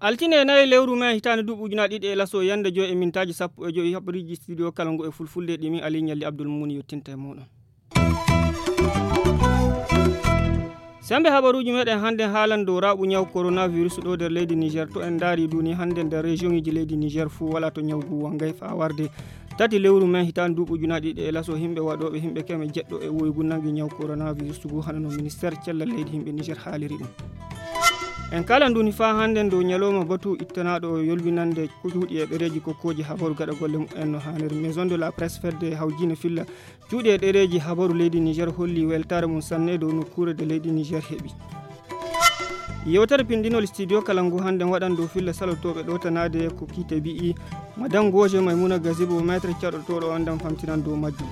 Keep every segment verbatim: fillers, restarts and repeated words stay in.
Altine nayi lewru mai hitaande duuɓi ujunaaji ɗiɗi e laso yande joy e mintaaji sappo e joy haɓriiji studio kala ngu e fulfulde ɗi min Ali Ñalli Abdul Mumuni yottinta e muɗum. Sembe habaruuji meɗen hannde haalan dow raɓu ñaw coronavirus ɗo nder leydi Niger. To en ndaari duni hannde nder région iji leydi Niger fuu wala to ñaw ngu wangay faa warde tati lewru mai hitaande duuɓi ujunaaji ɗiɗi e laso. Himɓe waɗooɓe himɓe keme jeɗɗo e woygu nangi ñaw coronavirus ngu hano no ministère cellal leydi himɓe Niger haaliri ɗum. En kala nduni faa hannden dow ñalawma batu ittanaaɗo yolbinande cuuɗi e ɗereeji kokkooji habaru gaɗa golle mumen no haaniri. Maison de la presse fedde hawjiine filla cuuɗi e ɗereeji habaru leydi Niger holli weltaare mum sanne dow nokkuure de leydi Niger heɓi. Yewtere pindinol studio kala ngu hannden waɗan dow filla salotooɓe ɗowtanaade ko kiite bi'i. Madan Goje Maymuna Gazibo, maître caɗotooɗo on ɗan famtinan dow majjum.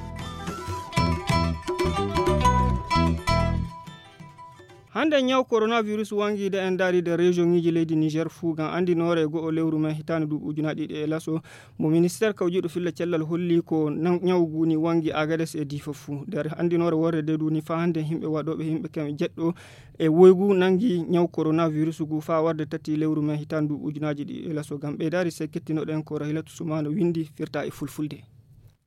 Hannde ñaw coronavirus wangiide en ndaari nder région iji leydi Niger fuu ngam anndinoore e go'o lewru mai hitaande duuɓi ujunaaji ɗiɗi e laso. Mo ministère kawjiiɗo filla cellal holli ko nan-, ñaw ngu ni wangi Agades e Difa fuu. Nder anndinoore worre de duni faa hannde himɓe waɗooɓe himɓe keme jeɗɗo e woygu nangi ñaw coronavirus ngu faa warde tati lewru mai hitaande duuɓi ujunaaji ɗiɗi e laso. Ngam ɓeydaari se kettinoɗen ko Rahilatu Sumano windi firta e fulfulde.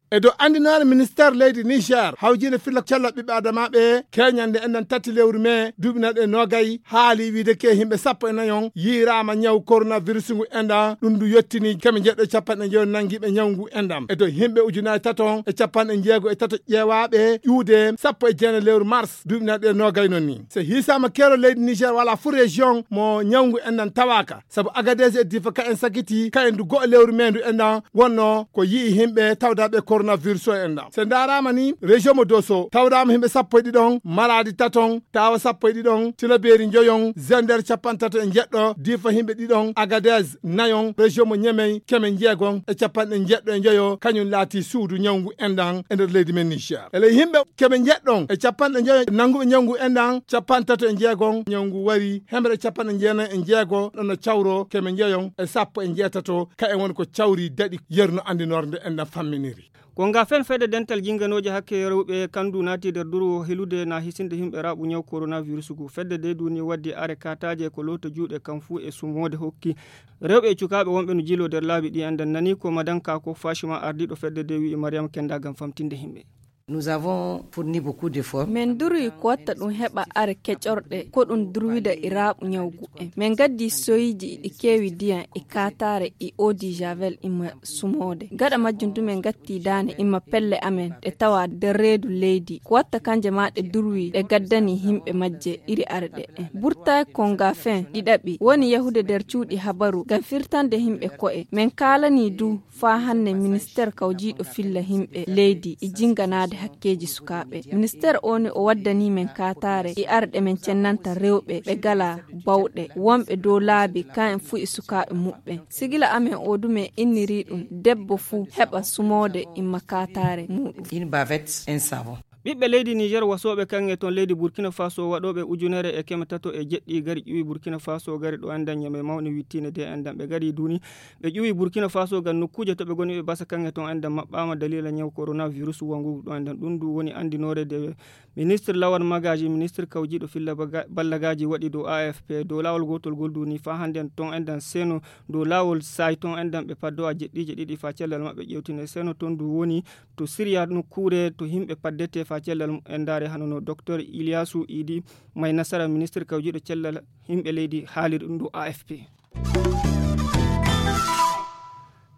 E dow anndinoore ministère leydi Niger, hawjiinde filla cellal ɓiɓɓe adamaaɓe, keñande enɗan tati lewru mai duuɓi nayi e noogay, haali wiide ke himɓe sappo e nayi on yiiraama ñaw coronavirus ngu enɗan, ɗum ndu yottini keme jeɗɗo e capanɗe njoyo nangiiɓe ñaw ngu enɗan. E dow himɓe ujunaaji tato e capanɗe jeego e tato ƴeewaaɓe ƴuude sappo e jeenayi lewru mars duuɓi nayi e noogay non ni. Se hiisaama keerol leydi Niger wala fuu région mo ñaw ngu enɗan tawaaka. Sabu Agadez e Difa ka en sakiti, ka en du go'o lewru mai ndu enɗan wonno ko yi'i himɓe tawdaaɓe coronavirus o enɗan. Se ndaaraama ni, région mo Doso tawdaama himɓe sappo e ɗiɗon, Maradi taton, Tawa sappo e ɗiɗon, Tilaberi njoyon, Zender capantato e jeɗɗo, Difa himɓe ɗiɗon, Agadez nayon, région mo Ñemey keme jeegon e capanɗe jeɗɗo e njoyo, kañum laati suudu ñaw ngu enɗan e nder leydi men Niger. E ley himɓe keme jeɗɗon e capanɗe njoyo nanguɓe ñaw ngu enɗan, capantato e jeegon ñaw ngu wari, hemre capanɗe jeenayi e jeego ɗon no cawro keme njeyon e sappo e jeetato, ka en woni ko cawri daɗi yerno anndinoore nde enɗan famminiri. Ko nga fen fedde dental jinganooje hakke rewɓe kandu naati nder durwo helude na hisinde himɓe raɓu ñaw coronavirus ngu. Fedde de duni waddi are kataaje ko loota juuɗe kan fuu e sumoode hokki rewɓe e cukaaɓe wonɓe no jilo nder laabi ɗi enɗan nani ko madanka ko Fashima ardiiɗo fedde de wi'i Mariam Kenda ngam famtinde himɓe. Nous avons fourni beaucoup d'efforts. Min durwi ko watta ɗum heɓa are keƴorɗe, ko ɗum durwida e raaɓu ñawgu en. Min gaddi soyiji ɗi keewi ndiyan e kaataare e eau de javel ima sumoode. Gaɗa majjum du min gatti daane ima pelle amen ɗe tawa nder reedu leydi. Ko watta kanje ma ɗe durwi ɗe gaddani himɓe majje iri are ɗe en. Burtay konga fen ɗiɗaɓi woni yahude nder cuuɗi habaru ngam firtande himɓe ko'e. Min kaalani du faa hannde ministeer kawjiiɗo filla himɓe leydi e jinnganaade hakkeeji sukaaɓe. Ministeer oo ni o waddanii men kaataare e arɗe men cennanta rewɓe ɓe ngalaa bawɗe, wonɓe dow laabi, kayen fuu e sukaaɓe muɓɓen. Sigila amen oo du men innirii ɗum, debbo fuu heɓa sumoode imma kaataare muuɗum. Une bavette, un savon. Ɓiɓɓe leydi Niger wasooɓe kaŋŋe ton leydi Burkina Faso waɗooɓe ujunere e keme tato e jeɗɗi gari ƴuwi Burkina Faso gari ɗo enɗan ñame mawni wittiinde de enɗan ɓe gari duuni. Ɓe ƴuwi Burkina Faso ngam nokkuuje to ɓe ngoni ɓe basa kaŋŋe ton enɗan maɓɓaama daliila ñaw coronavirus wangugu ɗo enɗan. Ɗum ndu woni anndinoore de ministre Lawan Magaji, ministre kawjiiɗo filla baga-, ballagaaji waɗi dow A F P. Dow laawol gootol ngol duuni faa hannden ton enɗan Seno, dow laawol Saay ton enɗan ɓe paddo a jeɗɗiije ɗiɗi faa cellal maɓɓe ƴeewtine. Seno ton ndu woni to Siriya nokkuure to himɓe paddete faa cellal mumen ndaare hano no Doktor Iliyasu Idi May Nasara, ministre kawjiiɗo cellal himɓe leydi haaliri ɗum dow A F P.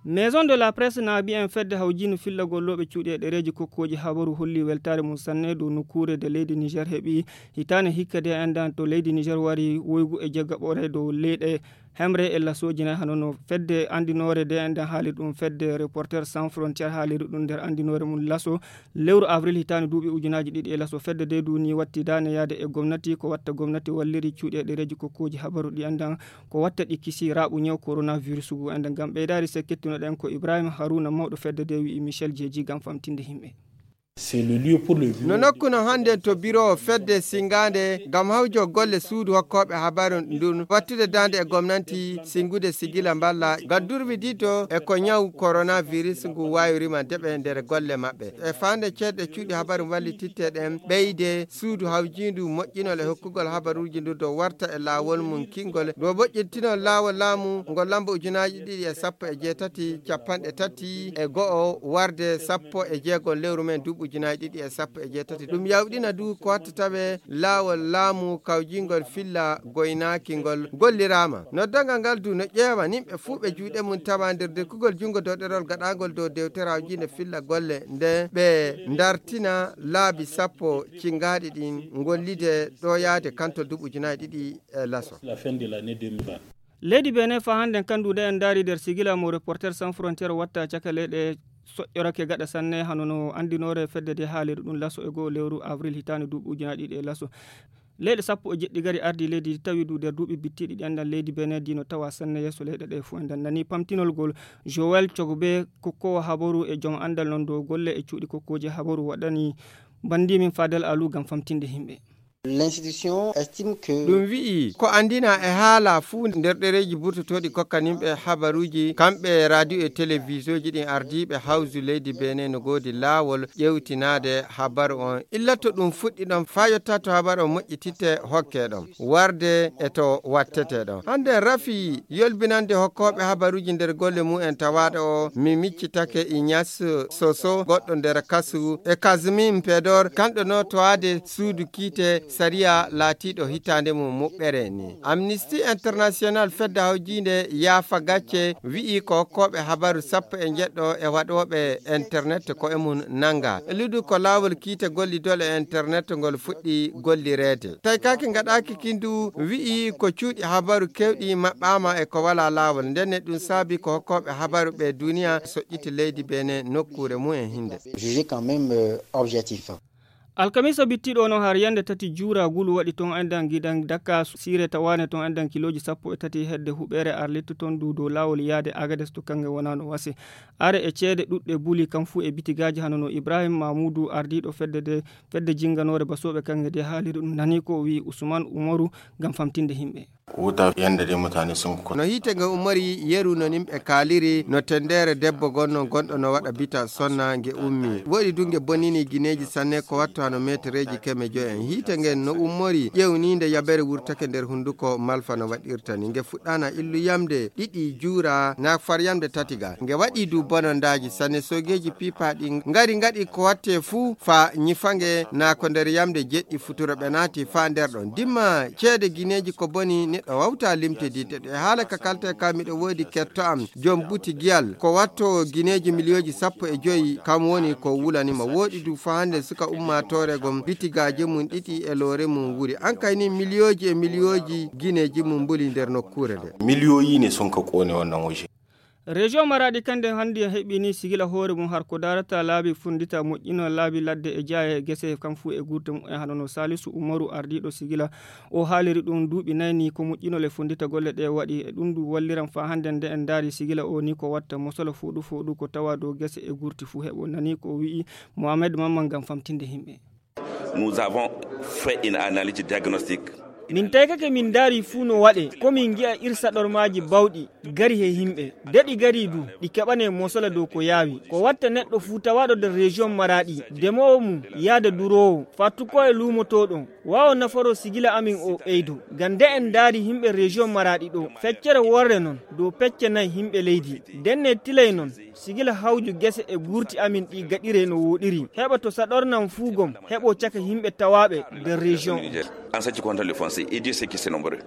Maison de la Presse na mbiyen fedde hawjiino fillagol looɓe cuuɗi e ɗereeji kokkooji habaru holli weltaare mum sanne dow nokkuure de leydi Niger heɓi hitaane hikka de enɗan to leydi Niger wari woygu e jaggaɓore dow leyɗe hemre e lasooji nayi hano no fedde anndinoore de enɗan haali ɗum fedde Reporter Sans Frontière haaliri ɗum nder anndinoore mum laso lewru avril hitaande duuɓi ujunaaji ɗiɗi e laso. Fedde de duuni watti daane yaade e gomnati ko watta gomnati walliri cuuɗi e ɗereeji kokkooji habaru ɗi enɗan ko watta ɗi kisi raaɓu ñaw coronavirus ngu enɗan. Ngam ɓeydaari se kettunoɗen ko Ibrahima Haruna mawɗo fedde de wi'i Michel Jeeji ngam famtinde himɓe. No nokku no hannden to biro fedde singaande ngam hawjo golle suudu hokkooɓe habaru ndun wattude daande e gomnanti singude sigila mballa ngal durwi diddo e ko ñaw coronavirus ngu waawirima deɓe nder golle maɓɓe. E faande ceeɗe cuuɗi habaru mballititte ɗen ɓeyde suudu hawjiindu moƴƴinol e hokkugol habaruuji ndu dow warta e laawol mum kingol dow moƴƴintinol laawol laamu ngol lamba ujunaaji ɗiɗi e sappo e jeetati capanɗe tati e go'o warde sappo e jeego lewru men duuɓi ujunaaji ɗiɗi e sappo e jeetati. Ɗum yawɗina du ko watta tawe laawol laamu kawjingol filla goynaaki ngol golliraama. Noddangal ngal du no ƴeewa nimɓe fuu ɓe juuɗe mum tawa nder dekkugol junngo dow ɗerol gaɗaangol dow dewtere hawjiinde filla golle nde ɓe ndartina laabi sappo cingaaɗi ɗin ngollide ɗo yaade kantol duuɓi ujunaaji ɗiɗi e laso. Leydi Benin fa hannden kandu nde en ndaari nder sigila mo Reporter Sans Frontier watta caka leyɗe soƴƴorake gaɗa sanne hano no anndinoore fedde nde haaliri ɗum laso e goo lewru avril hitaande duuɓi ujunaaji ɗiɗi e laso. Leyɗe sappo e jeɗɗi gari ardi leydi ndi tawi du nder duuɓi bittiɗi ɗi anndan leydi Benin ndi no tawa sanne yeeso leyɗe ɗe fuu. Enɗan nani pamtinol ngol Joël Cogbe kokkowo habaru e joom anndal non dow golle e cuuɗi kokkooji habaru waɗani banndi min Fadel Alu ngam famtinde yimɓe. L'institution estime que ɗum wi'i ko anndina e haala fuu nder ɗereeji burtotooɗi kokkaninɓe habaruuji kamɓe radio e télévision ji ɗin ardiiɓe hawsu leydi Benin no goodi laawol ƴewtinaade habaru on illa to ɗum fuɗɗi ɗon faa yotta to habaru on moƴƴititte hokke ɗon warde e to wattete ɗon. Hannde rafi yolbinande hokkooɓe habaruuji nder golle mum en tawaaɗo o mi miccitake Ignace Soso goɗɗo nder kasu e Kazmin Pedor kanɗo no towaade suudu kiite sariya laatiiɗo hitaande mum muɓɓere ni. Amnesty International fedde hawjiinde yaafa gacce wi'i ko hokkooɓe habaru sappo e njeɗɗo e waɗooɓe internet ko e mum nanga. Ludu ko laawol kiite gollidol e internet ngol fuɗɗi gollireede. Tawi kaake ngaɗaaki kindu wi'i ko cuuɗi habaru kewɗi maɓɓaama e ko walaa laawol. Ndenne ɗum saabi ko hokkooɓe habaru ɓe duniya soƴƴiti leydi Benin nokkuure mum e hinde. Jugé quand même euh, objectif. Alkamisa bittiɗo no har yande tati juura gulu waɗi ton endan gidan dakka sire tawane ton endan kiloji sappo e tati hedde huɓere arlitto ton du dow lawol yaade agades to kange wonano wase. Are e ceede ɗuɗɗe buli kam fu e bitigaaji hano no Ibrahim Mamudu ardiɗo fedde de fedde jinganore basoɓe kange de haaliri ɗum nani ko wi Usman Umaru ngam famtinde himɓe. Wuta yanda dai mutane sun kwana. No hiite nge ummori yeru no nimɓe kaaliri no tendere debbo gonno gonɗo no waɗa bita sonna nge ummi woɗi du nge bonini gineeji sanne ko watto hano metereeji keme joyo en hiite ngen no ummori ƴewninde yabere wurtake nder hunduko malfa no waɗirta ni nge fuɗɗana illu yamde ɗiɗi juura na far yamde tati ga nge waɗi du bonondaaji sanne sogeeji piipaaɗi ngari ngaɗi ko watte fuu fa ñifa nge na ko nder yamde jeɗɗi futuro ɓe naati fa nder ɗon dimma ceede gineeji ko boni neɗɗo wawta limtididde ɗe haala ka kalte ka miɗo woodi ketto am joom buti giyal ko watto gineeji miliyooji sappo e joyi kam woni ko wulanima woɗi du fa hande suka ummatore gom bitigaaji mum ɗiɗi e loore mum wuri an kay ni miliyooji e miliyooji gineeji mum mbuli nder nokkuure nde. Miliyoyi ne sun ka kone wannan waje. Région maraɗi kande hannde heɓini sigila hoore mum har ko darata laabi fundita moƴƴino laabi ladde e jaaye e gese kam fuu e gurte mum e hano no salisu umaru ardiɗo sigila o haaliri ɗum duuɓi nayni ko moƴƴinol e fundita golle ɗe waɗi e ɗum du walliran fa hannde nde en ndaari sigila o ni ko watta mosolo fooɗu fooɗu ko tawa dow gese e gurti fuu heɓo nani ko wi'i mohamed mamman ngam famtinde himɓe. Nous avons fait une analyse diagnostique. Min taykake min ndaari fuu no waɗe ko min ngi'a irsaɗormaaji bawɗi gari he yimɓe de ɗi gari du ɗi keɓane mosola dow ko yaawi ko watta neɗɗo fuu tawaɗo nder région maraɗi demowo mum yaada durowo fattuko e luumotoɗon wawo nafaro sigila amin o ɓeydo ngam nde en ndaari yimɓe région maraɗi ɗo feccere worre non dow pecce nayi yimɓe leydi ndenne tilay non sigila hawju gese e gurti amin ɗi gaɗire no woɗiri heɓa to saɗornan fuu gom heɓo caka yimɓe tawaɓe nder région. En ce qui concerne le foncier et Dieu sait que c'est nombreux.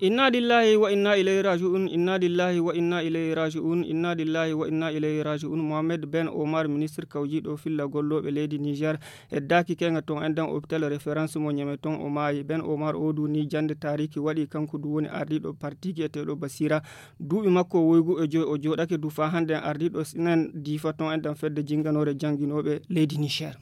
Inna lillahi wa inna ilayhi raji'un inna lillahi wa inna ilayhi raji'un inna lillahi wa inna ilayhi raji'un mohammed ben omar ministre kawjiɗo filla golloɓe leydi niger heddaki kenga ton endan hôpital référence mo ñame ton o maayi ben omar o duni jande tariki waɗi kanko du woni ardiɗo parti gi'eteɗo basira duuɓi makko woygu e joyi o jooɗake du fa hannde en ardiiɗo sinen diifa ton enɗan fedde jinnganoore jannginoɓe leydi nicher.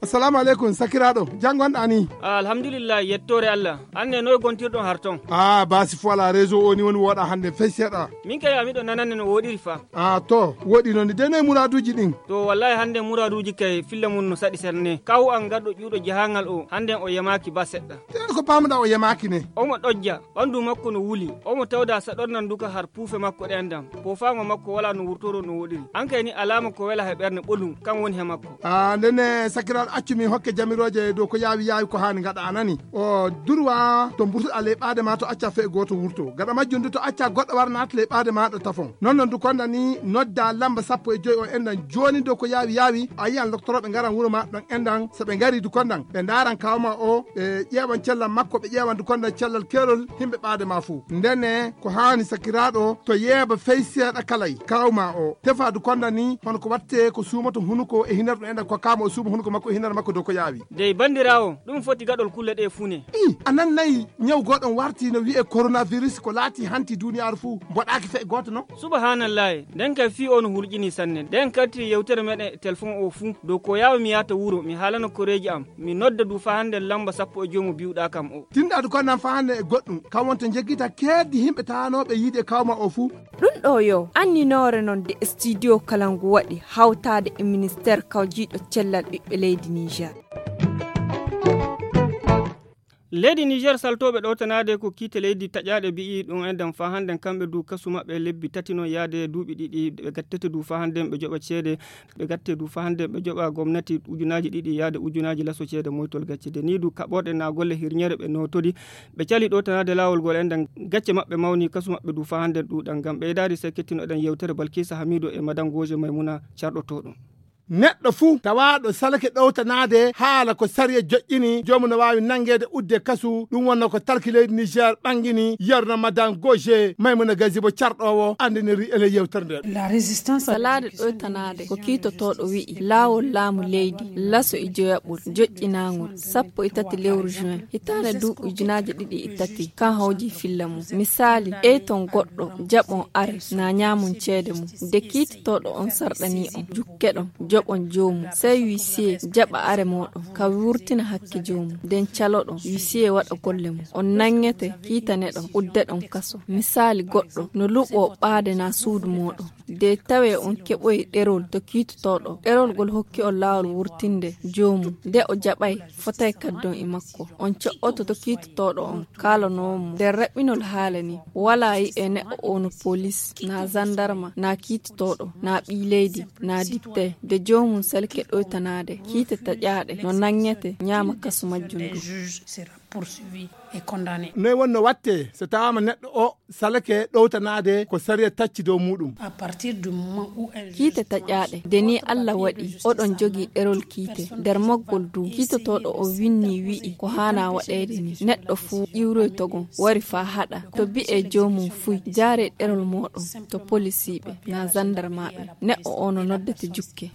Salamu aleykum, sakiraaɗo. Jam ngonɗaa ni? Ah, alhamdulillah, yettoore Allah. An ne, noy gontirɗon har ton? Ah, baasi fo alaa, réseau o ni woni wooɗaa hannde fey seeɗa. Min kay, a miɗo nanande no wooɗiri fa. Ah, to, wooɗi noon ni. De noy muraaduuji ɗin? To, wallahi hannde muraaduuji kay filla mum no saɗi serne. Kaw an gaɗɗo ƴuuɗo jahangal o, hannde o yamaaki ba seɗɗa. Tee ko paamuɗaa o yamaaki ne? Omo ɗojja, ɓanndu makko no wuli, omo tawda saɗornan duka har puufe makko ɗen dam. Poofaango makko walaa no wurtoro no wooɗiri. An kay ni alaama ko wela he ɓernde ɓolum, kan woni he makko. Ah, ndenne sakiraaɗo, accu min hokke jamirooje dow ko yaawi yaawi ko haani ngaɗa, a nani? O durwa to mburtuɗaa ley ɓaade ma to acca fee gooto wurto. Gaɗa majjum du to acca goɗɗo wara naata ley ɓaade maaɗa tafon. Non non du konda ni nodda lamba sappo e joy o endan jooni dow ko yaawi yaawi. A yiyan loktorooɓe ngaran wuro ma ɗon endan. So ɓe ngari du kondan ɓe ndaaran kawma o, ɓe ƴeewan cellal makko, ɓe ƴeewan du kondan cellal keerol himɓe ɓaade ma fuu. Ndenne ko haani sakiraaɗo to yeeba fey seeɗa kalay kawma o. Tefa du kondan ni hono ko watte ko suumoto hunuko e hinar ɗum endan ko kama o suuma hunuko makko e hinar makko dow ko yaawi. Dey banndiraawo, ɗum foti gaɗol kulle ɗe fuu ne. I, a nannayi ñaw gooɗon warti no wi'e coronavirus ko laati hanti duniyaaru fuu, mboɗaaki fey gooto non? Subahanallahi, nden kay fii o no hulƴini sanne. Nden kaltiri yewtere meɗen e telefon o fuu, dow ko yaawi mi yaata wuro, mi haalana koreeji am, mi nodda du faa hannde lamba sappo e joy mo biwɗaa kam o. Tinɗaadu ko nan faa hannde e goɗɗum, kam wonto njeggita keeddi himɓe taanooɓe yiide kawma o fuu. Ɗum ɗo yo anninoore non de studio Kalangu waɗi hawtaade e ministeer kawjiiɗo cellal ɓiɓɓe leydi Niger. Leydi Niger saltooɓe ɗowtanaade ko kiite leydi taƴaaɗe mbi'i ɗum enɗam faa hannden kamɓe du kasu maɓɓe lebbi tati non yaade duuɓi ɗiɗi ɓe gattete du faa hannden ɓe joɓa ceede ɓe gatte du faa hannden ɓe joɓa gomnati ujunaaji ɗiɗi yaade ujunaaji laso ceede moytol gacce de ni du kaɓorɗe na golle hirñere ɓe notori ɓe cali ɗowtanaade laawol ngol enɗam gacce maɓɓe mawni kasu maɓɓe du faa hannden ɗuuɗan ngam ɓeydaade se kettinoɗen yewtere Balkisa Hamidu e madan Goje Maymuna carɗotooɗo. Neɗɗo fuu tawaaɗo salake ɗowtanaade haala ko sariya joƴƴini, joomum no waawi nanngeede udde kasu. Ɗum wonno ko talki leydi Niger ɓangini, yerno madan Goje Maymuna Gazibo carɗoowo anndiniri e ley yewtere nden. Salaade ɗowtanaade ko kiitotooɗo wi'i laawol laamu leydi laso e joyaɓol joƴƴinaangol sappo e tati lewru juin hitaande duuɓi ujunaaji ɗiɗi e tati kan hawji filla mum. Misaali, ƴeyton goɗɗo, jaɓon are, na ñaamon ceede mum. De kiitotooɗo on sarɗanii on, jukkeɗon, joɓon joomum. Sey huissier jaɓa are mooɗon, ka wurtina hakke joomum. Den caloɗon, huissier waɗa golle mum. On nanŋete, kiitaneɗon, uddeɗon kaso. Misaali goɗɗo, no luɓoo ɓaade na suudu mooɗon. De tawee on keɓoyi ɗerol to kiitotooɗo. Ɗerol gol hokki on laawol wurtinde joomum. De o jaɓay, fotay kaddon e makko. On co'oto to kiitotooɗo on, kaalanoo mo. Nder raɓɓinol haala ni, walaa yi'e neɗɗo oo no polis, na zandarma, na kiitotooɗo, na ɓii leydi, na dipte. De joomum salke ɗoytanaade, kiite taƴaaɗe, no nanŋete, ñaama kasu majjum du. Noy wonno watte so tawaama neɗɗo o salake ɗowtanaade ko sariya tacci dow muuɗum? Kiite taƴaaɗe, de ni Alla waɗi oɗon jogii ɗerol kiite. Nder maggol du, kiitotooɗo o winni wi'i ko haana waɗeede ni. Neɗɗo fuu iwroytogol wari faa haɗa. To bi'e joomum fuy, jaare ɗerol mooɗon to polisiiɓe na zandarmaaɓe. Neɗɗo o no noddete jukke.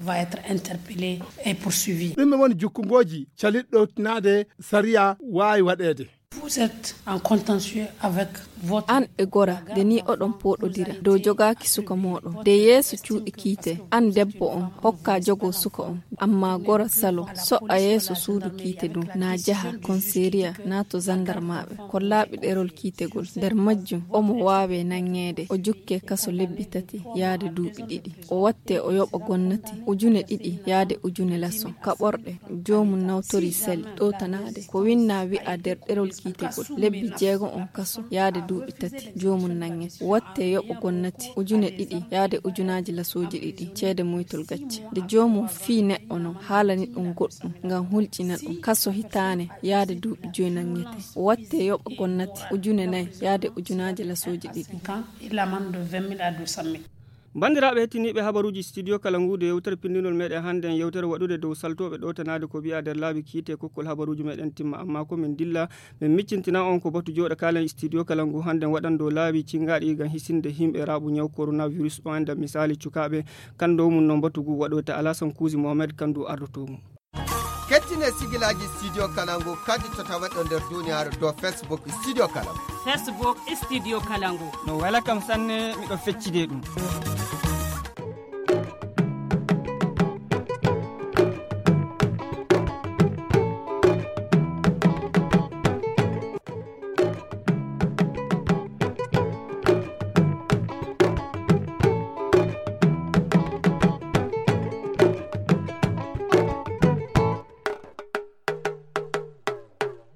Ɗume woni jukkungooji caliɗɗo ɗowtanaade sariya waawi waɗeede? Vous êtes en contentieux avec votre... An e gora, de ni oɗon pooɗodira dow jogaaki suka mooɗon. De yeeso cuuɗi kiite, an debbo on, hokka jogoo suka on. Amma gora salo, so'a yeeso suudu kiite ɗum, na jaha, konseriya, na to zandarmaaɓe. Kollaaɓe ɗerol kiitegol. Nder majjum, omo waawe nanŋeede, o jukke kaso lebbi tati, yaade duuɓi ɗiɗi. O watte o yoɓa gonnati, ujune ɗiɗi, yaade ujune laso. Kaɓorɗe, joomum nawtori sali, ɗowtanaade. Ko winnaa wi'a nder ɗerol kiitegol, lebbi jeego on kaso, yaade duuɓi tati, joomum nanŋe. Watte yoɓa gonnati, ujune ɗiɗi, yaade ujunaaji lasooji ɗiɗi, ceede muytol gacce. Nde joomum fii neɗɗo non, haalani ɗum goɗɗum, ngam hulƴina ɗum. Kaso hitaane, yaade duuɓi joy nanŋete. Watte yoɓa gonnati, ujune nayi, yaade ujunaaji lasooji ɗiɗi. Cinq ans, et l'amende de vingt mille à deux cent mille. Banndiraaɓe hettiniiɓe habaruuji Studio Kalangu, de yewtere pinndinol meɗen hannde, en yewtere waɗude dow saltooɓe ɗowtanaade ko wi'a nder laabi kiite kokkol habaruuji meɗen timma. Amma ko min dilla, min miccintina on ko batu jooɗo kaalen Studio Kalangu hannde waɗan dow laabi cinngaaɗi ngam hisinde himɓe raaɓu ñaw coronavirus o enda misaali cukaaɓe. Kan dow mum non batu ngu waɗoyta Alasan Kuusi Mohamed kan du ardotoo mum. Kettine sigilaaji Studio Kalangu kadi to taweɗo nder duniyaaru dow Facebook Studio Kalangu. Facebook Studio Kalangu. No wela kam sanne, miɗo feccide ɗum.